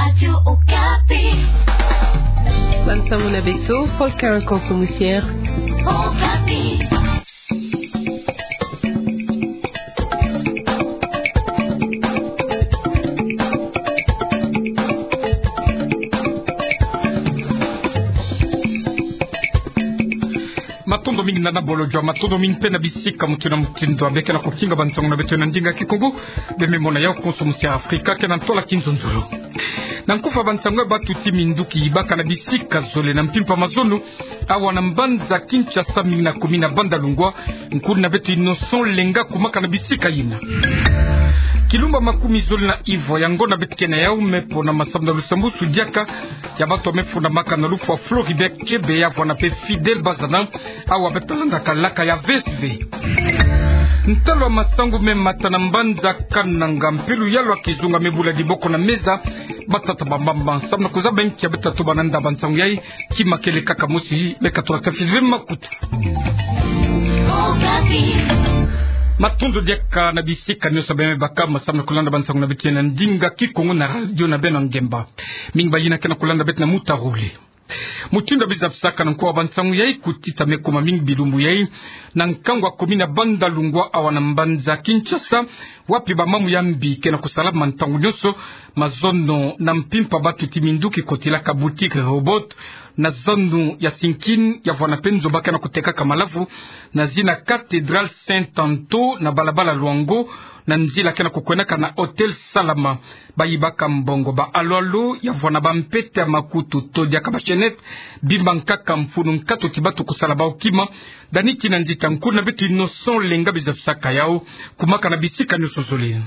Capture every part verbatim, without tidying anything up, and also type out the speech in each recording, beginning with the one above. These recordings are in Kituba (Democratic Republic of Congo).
Radio Okapi. Bansango na beto, Paul Karakan Somusier. Okapi. Matondo mingi na Nabolo Jua, matondo mingi mpe na bisika mutindu na mutindu ya bie ke na kufinga bansango na beto na ndinga Kikongo. Bie me mona yau konso musi Afrika ke na ntwala kinzonzolo. Na nkufa bansango ya batuti minduki yibaka na bisika zole na mpimpa mazono, awa na mbanza Kinshasa mingi na commune ya Bandalungwa, nkulu na beto Innocent Lenga kumaka na bisika yina. Kilumba makumi zole na ivwa ya ngonda beto ke na yau me pona masamu na lusambusu diaka ya bato ya me fundamaka na lufwa Floribert Chebeya vwanda mpe Fidèle Bazana, awa beto landaka laka ya V S V. Ntalu ya masangu me mata na mbanza Kananga, mpelo ya lwa kizunga me bula diboko na meza, batata ba mbamba. Samu na kuzaba nki ya beto tatuba na nda bansangu yayi, kima kele kaka mosi, beka tula kafizwe makutu. Matondo diaka na bisika nyonso bie me baka masamu na kulanda bansangu na beto na ndinga Kikongo na radio na beno ngemba. Mingi bayina ke na kulanda beto na muta rule. Mutindu ya bizabisaka na nko ya bansangu yayi, kutita me kuma mingi bilumbu yayi na nkangu ya commune ya Bandalungwa awa na mbanza Kinshasa, wapi bamamu ya mbi ke na kusalama ntangu nyonso, mazono na mpimpa batuti minduki kotilaka boutique Rehoboth na zanu ya Sinkin, ya vwanda mpe nzo ba ke na kutekaka malavu na zina Cathédrale Saint Anto na balabala Luango, na nzila ke na kukwendaka na Hôtel Salama. Bayibaka mbongo, ba alo-alo, ya vwanda ba mpete ya makutu to diaka ba chaînette, bima nkaka, mfunu, nkatu ti bato kusala bawu kima. Dani Kinanzita, nkulu na beto Innocent Lenga bizabisaka yawu, kumaka na bisika nyonso zole.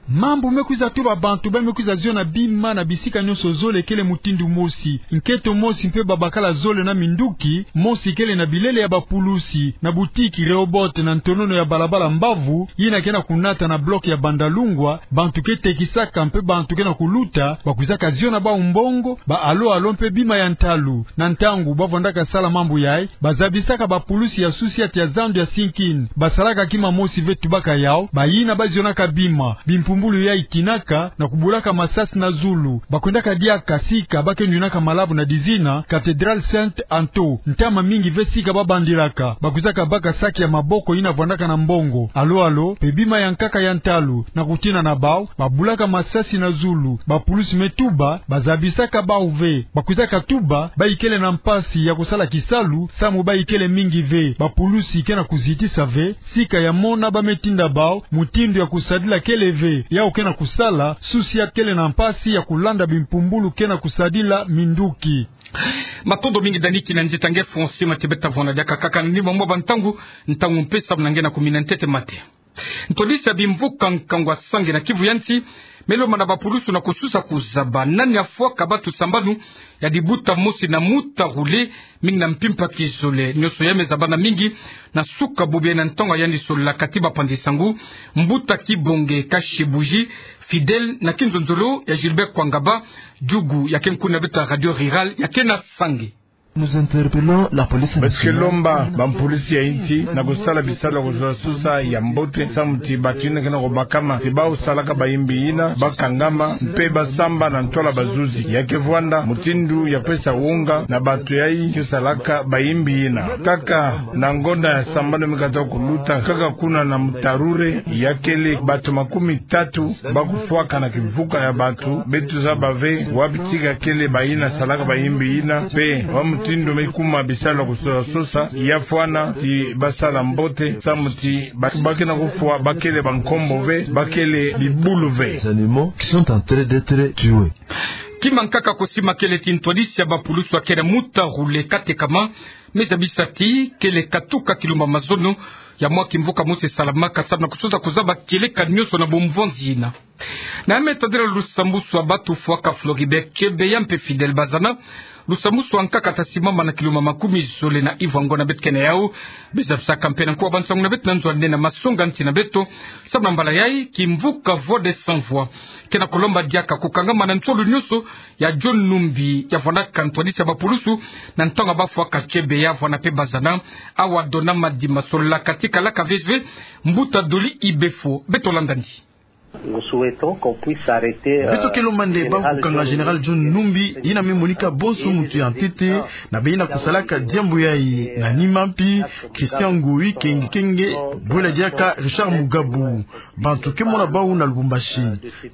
Mambu me kwiza tuba bantu ba me kwiza ziona bima na bisika nyonso zole kele mutindu mosi. Nkento mosi mpe babakala zole na minduki, mosi kele na bilele ya bapulusi na boutique Rehoboth na ntonono ya balabala Mbavu, yina ke na kunata na bloc ya Bandalungwa, bantu ke tekisaka mpe bantu ke na kuluta, bakwizaka ziona bawu mbongo, ba alo-alo mpe bima ya ntalu. Na ntangu bavwandaka sala mambu yayi, bazabisaka bapulusi ya société ya zandu ya Sinkin. Basalaka kima mosi ve, tubaka yawu, bayina bazionaka bima, bimpumbulu yayi kinaka, na kubulaka masasi na zulu. Bakwendaka diaka sika ba ke nwinaka malavu na dizina Cathédrale Saint Anto. Ntama mingi ve sika babandilaka. Bakwizaka baka saki ya maboko yina vwandaka na mbongo, alo-alo, mpe bima ya nkaka ya ntalu, na kutina na bawu, babulaka masasi na zulu. Bapulusi me tuba, bazabisaka bawu ve. Bakwizaka tuba, bayikele na mpasi ya kusala kisalu, samu bayikele mingi ve. Bapulusi ke na kuzitisa ve, sika ya mona ba me tinda bawu, mutindu ya kusadila kele ve. Yawu ke na kusala, société kele na mpasi ya kulanda bimpumbulu ke na kusadila minduki. Matondo mingi Dani Kinanzita, nge Fonsi Matibe, ta vwanda diaka kaka ni mwa mwa bantangu, ntangu mpe samu na nge na kumina ntete mate. Ntwadisi ya bimvuka nkangu ya Sange na Kivu ya Nsi, me lomba na bapulusu na kususa kuzaba nani afwaka batu sambanu ya dibuta mosi na muta rule, mingi na mpimpa kizole. Nyonso ya me zabana mingi na suka bubu yayi na ntangu ya yandi solola kati bapanzi sangu, mbuta Kibonge Kashibuji, Fidèle, na kinzonzolo ya Gilbert Kwangaba, diugu ya ke nkulu na beto ya Radio Rurale ya ke na Sange. Nous interpellons la police nationale. Beto ke lomba bampulusi ya insi na kusala bisalu ya kususa-susa ya mbote, samu ti batu yina ke na kubakama ti bawu salaka bayimbi yina, bakangama, mpe basamba na ntwala bazuzi. Ya ke vwanda mutindu ya pesa wonga na batu yayi ke salaka bayimbi yina. Kaka na ngonda ya sambanu me kata kuluta, kaka kuna na muta rule, ya kele batu makumi tatu ba kufwaka na kimvuka ya batu. Beto zaba ve wapi tika kele bayina salaka bayimbi yina, mpe wa mutindu me kuma bisalu ya kususa-susa, ya fwana ti basala mbote, samu ti ba, ba ke na kufwa ba kele bankombo ve, ba kele bibulu ve. Les animaux qui sont en train d'être tués. Kima nkaka ko sima kele ti ntwadisi ya bapulusu ya ke na muta rule katekama, me zabisa ti kele katuka kilumba mazono ya mwa kimvuka mosi salamaka, samu na kususa kuzaba kieleka nyonso na bomvonzi yina. Na ya me tadila lusambusu ya batu fwaka Floribert Chebeya mpe Fidèle Bazana, lusambusu ya nkaka ta simama na kilumba makumi zole na ivwa ngonda beto ke na yawu. Bizabisaka mpe na nko ya bansangu na beto na nzo ya nene ya masonga-nsi na beto, samu na mbala yayi kimvuka Voix des Sans Voix ke na kulomba diaka kukangama na nsolo nyonso ya John Numbi, ya vwandaka ntwadisi ya bapulusu na ntangu ya bafwaka Chebeya vwanda mpe Bazana. Awa Dona Madimba solola kati kalaka V S V, mbuta Doli Ibefo. Beto landa ndi. Beto ke lomba nde bau kukanga Général John Numbi, yina me monika bonso muntu ya ntete na beyina kusalaka diambu yayi. Na nima mpi, Christian Ngoyi Kenge Kenge, bwela diaka Richard Mugabu. Bantu ke mona bau na Lubumbashi.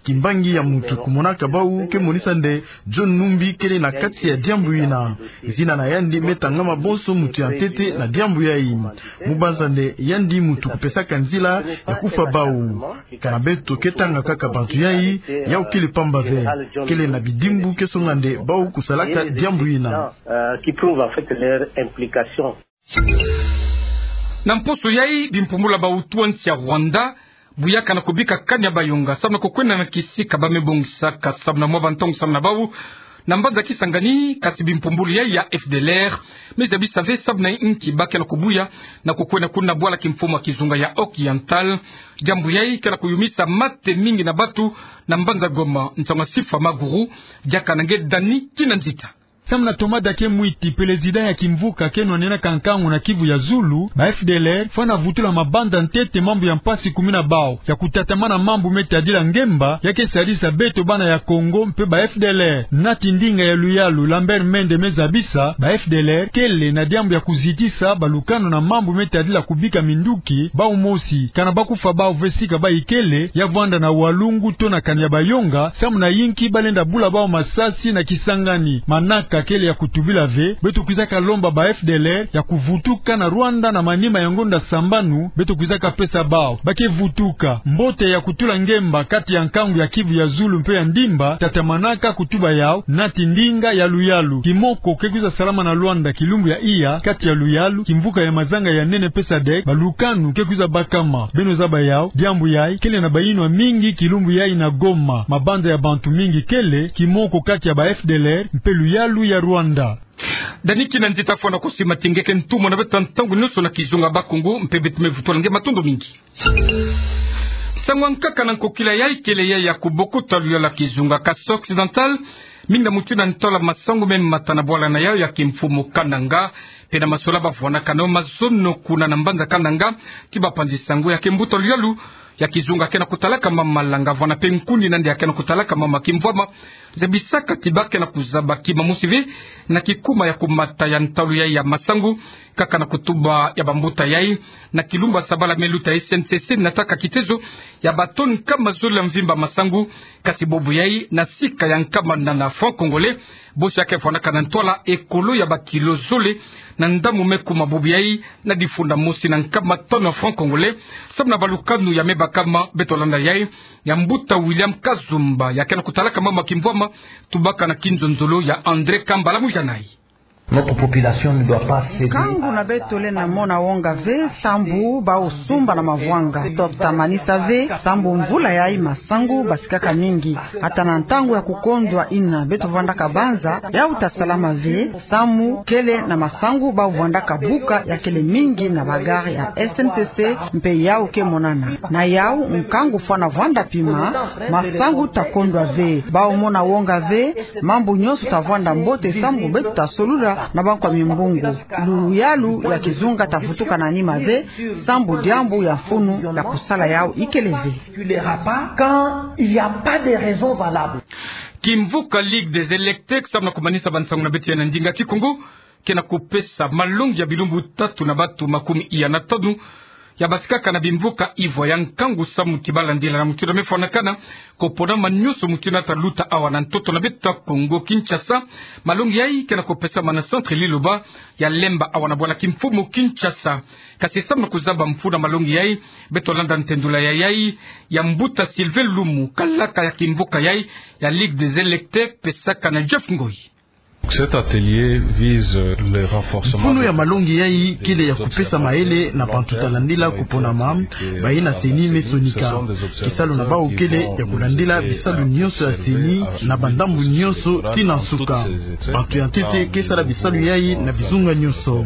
Kimbangi ya muntu kumonaka bau ke monisa nde John Numbi kele na kati ya diambu yina. Zina na yandi me tangama bonso muntu ya ntete na diambu yayi. Mu banza nde yandi muntu kupesaka nzila ya kufwa bau. Kana beto ke tanga kaka bantu yayi, yau kele pamba ve. Kele na bidimbu ke songa nde bau kusalaka diambu yina. Na mposo yayi, bimpumbulu ya bawutu ya nsi ya Rwanda buyaka na kubika kani ya bayonga samu na kukwenda na kisika ba me bongisaka samu na mwa bantongo samu na bau na mbanza Kisangani. Kasi bimpumbulu yayi ya F D L R me zabisa ve samu na inki ba ke na kubuya na kukwenda kuna bwala kimfumu ya kizunga ya Occidental. Diambu yayi ke na kuyumisa mate mingi na bantu na mbanza Goma. Nsangu ya Sifa Maguru, diaka na nge Dani Kinanzita. Samu na Thomas Dake Mwiti, président ya kimvuka ke nwanenaka nkangu na Kivu ya Zulu, ba F D L R fwana vutula mabanda ntete mambu ya mpasi kumina bau ya kutatamana mambu me tadila ngemba ya ke sadisa beto bana ya Kongo mpe ba F D L R. Nati ndinga ya luyalu Lambert Mende me zabisa ba F D L R kele na diambu ya kuzitisa balukanu na mambu me tadila kubika minduki bau mosi, kana ba kufwa bau ve sika ba ikele, ya vwanda na walungu to na kani ya bayonga, samu na inki ba lenda bula bau masasi na Kisangani. Manaka kele ya kutubila ve, beto kwizaka lomba ba F D L R ya kuvutuka na Rwanda na manima ya ngonda sambanu beto kwizaka pesa bau. Ba ke vutuka. Mbote ya kutula ngemba kati ya nkangu ya Kivu ya Zulu mpe ya Ndimba, tatamanaka kutuba yau nati ndinga ya luyalu. Kimoko ke kwiza salama na Luanda kilumbu ya iya kati ya luyalu, kimvuka ya mazanga ya nene pe sadek, balukanu ke kwiza bakama. Beno zaba yau, diambu yayi kele na bayinwa mingi kilumbu yayi na Goma. Mabanza ya bantu mingi kele, kimoko kati ya ba F D L R mpe luyalu ya Rwanda. Dani Kinanzita, fwana kusi matingeke ntumwa na beto ntangu nionso na kizunga Bakongo, mpe beto me vutula nge matondo mingi. Nsangu ya nkaka na nkokila yayi kele yayi ya kubokuta luyalu ya kizunga Kasai Occidental, mingi na mutu na ntola masangu me mata na bwala na yau ya kimfumu Kananga, mpe na masola ba vwanaka nao mazono kuna na mbanza Kananga, ti ba panzi nsangu ya ke mbuta luyalu ya kizunga ke na kutalaka mama malanga, vwana mpe nkuni na nde ya ke na kutalaka mama kimvwama, zabisaka ti ba ke na kuzaba kima mosi ve na kikuma ya kumata ya ntalu yayi ya masangu, kaka na kutuba ya bambuta yayi, na kilumbu ya sabala me luta S N C C nataka kitezo ya ba tonne nkama zole ya mvimba masangu, kasi bobo yayi na sika ya nkama nana francs congolais, bosi ya ke vwanaka na ntwala ekolo ya ba kilo zole na ndambu me kuma bobo yayi na difunda mosi na nkama tonne ya francs congolais, samu na balukanu ya me bakama. Beto landa yayi ya mbuta William Kazumba ya ke na kutalaka mama kimvwama, tubaka na kinzonzolo ya André Kambala Mujanai. Notre population ne doit pas céder. Nkangu na beto lenda mona wonga ve sambu bau sumba na mavwanga. Tokta manisa ve sambu mvula yayi masangu basikaka mingi. Ata na ntangu ya kukondwa yina beto vwandaka banza, yau ta salama ve, samu kele na masangu bau vwandaka buka ya kele mingi na ba gare ya S N C C, mpe yau ke monana. Na yau, nkangu fwana vwanda pima, masangu ta kondwa ve. Bau mona wonga ve, mambu nionso ta vwanda mbote sambu beto ta solula na bankwa mimbungu. Luyalu ya kizunga ta vutuka na nima ve, sambu diambu ya mfunu ya kusala yau ikele ve. Quand il y a pas de raison valable. Kimvuka Ligue des Électeurs, samu na kumanisa bansangu na beto ya na ndinga Kikongo, ke na kupesa malongi ya bilumbu tatu na bantu makumi iya na tanu ya basikaka na bimvuka ivwa ya nkangu samu ti ba landila na mutu na me fwanakana, koponama nionso mutu na ta luta awa na ntoto na beto ya Kongo, Kinshasa. Malongi yayi ke na kupesama na centre Liloba ya Lemba awa na bwala kimfumu Kinshasa. Kasi samu na kuzaba mfunu ya malongi yayi, beto landa ntendula ya yayi ya mbuta Sylvain Lumu, kalaka ya kimvuka yayi ya Ligue des Électeurs, pesaka na Jeff Ngoyi. Cet atelier vise le renforcement. Mfunu ya malongi yayi kele ya kupesa mayele na bantu ta landila kuponama, bayi na CENI me sonika. Kisalu na bau kele ya kulandila bisalu nionso ya CENI na bandambu nionso tii na nsuka. Bantu ya ntete ke sala bisalu yayi na bizunga nionso.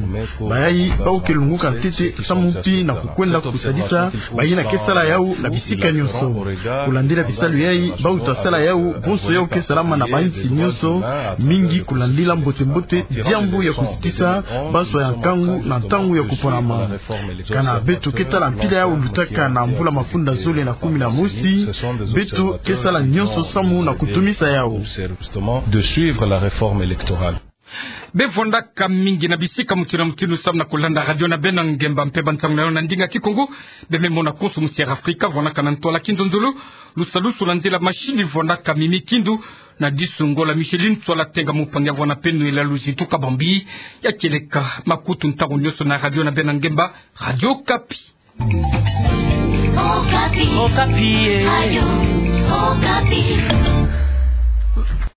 Bayayi bau ke lunguka ntete samu mpi na kukwenda kusadisa bayina ke sala yau na bisika nionso. Kulandila bisalu yayi, bau ta sala yau bonso yau ke salama na bainsi nionso, mingi kula- Lila mbote mbote diambu ya kuzitisa banswa ya nkangu na ntangu ya kuponama. Kana beto ke tala mpila ya ulutaka na mvula mafunda zole na kumi na mosi, beto ke sala nyonso samu na kutumisa yau. De suivre la réforme électorale. Bevwandaka mingi na bisika mutindu na mutindu samu na kulanda radio na beno ngemba mpe bansangu na yo na ndinga Kikongo. Beme mona konso musi Air Africa vwandaka na ntwala kinzonzolo, lusalusu na nzila mashini vwandaka mimi kindu, na disu Ngola Micheline, ntwala tenga mupangi ya vwanda peno ela luzi tuka bambi. Ya kieleka makutu ntangu nyonso na radio na beno ngemba, Radio Okapi. Okapi. Okapi, eh. Radio Okapi.